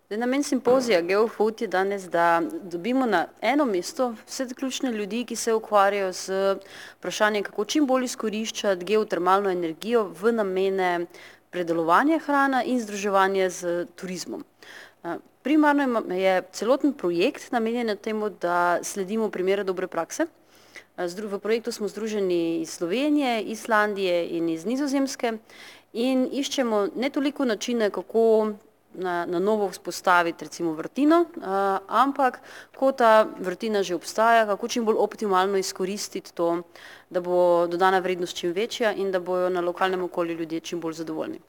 Namen simpozija GeoFood je danes, da dobimo na eno mesto vse ključne ljudi, ki se ukvarjajo z vprašanjem, kako čim bolj izkoriščati geotermalno energijo v namene predelovanja hrane in združevanja z turizmom. Primarno je celoten projekt namenjen temu, da sledimo primere dobre prakse. V projektu smo združeni iz Slovenije, Islandije in iz Nizozemske in iščemo ne toliko načine, kako na novo vzpostaviti recimo vrtino, ampak ko ta vrtina že obstaja, kako čim bolj optimalno izkoristiti to, da bo dodana vrednost čim večja in da bojo na lokalnem okolju ljudje čim bolj zadovoljni.